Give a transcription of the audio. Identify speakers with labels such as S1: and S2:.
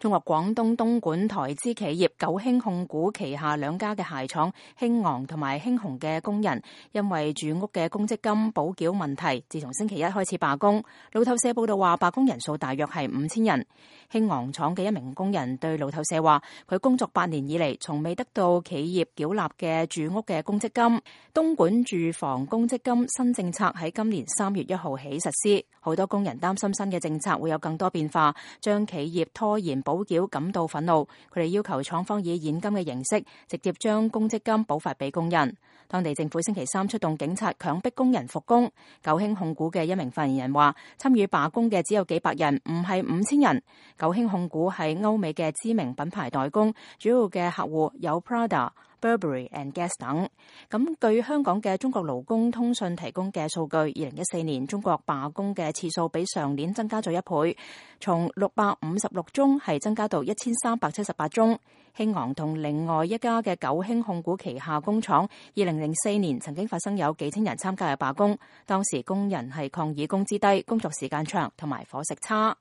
S1: 中國廣東東莞台資企業九興控股旗下兩家嘅鞋廠興昂同埋興鴻嘅工人，因為住屋嘅公積金補繳問題，自從星期一開始罷工。路透社報道話，罷工人數大約係5000人。興昂廠嘅一名工人對路透社話，佢工作8年以嚟，從未得到企業繳納嘅住屋嘅公積金。東莞住房公積金新政策喺今年3月1號起實施，好多工人擔心新嘅政策會有更多變化，將企業拖延補繳感到憤怒，佢哋要求廠方以現金嘅形式直接將公積金補發俾工人。當地政府星期三出動警察強迫工人復工。九興控股嘅一名發言人話，參與罷工嘅只有幾百人，唔係5000人。九興控股係歐美嘅知名品牌代工，主要嘅客戶有 Prada、Burberry and Guess 等。咁據香港嘅中國勞工通訊提供嘅數據，2014年中國罷工嘅次數比上年增加咗1倍，從656宗係增加到1378宗。興昂同另外一家嘅九興控股旗下工廠，2004年曾經發生有幾千人參加嘅罷工，當時工人係抗議工資低、工作時間長同埋伙食差。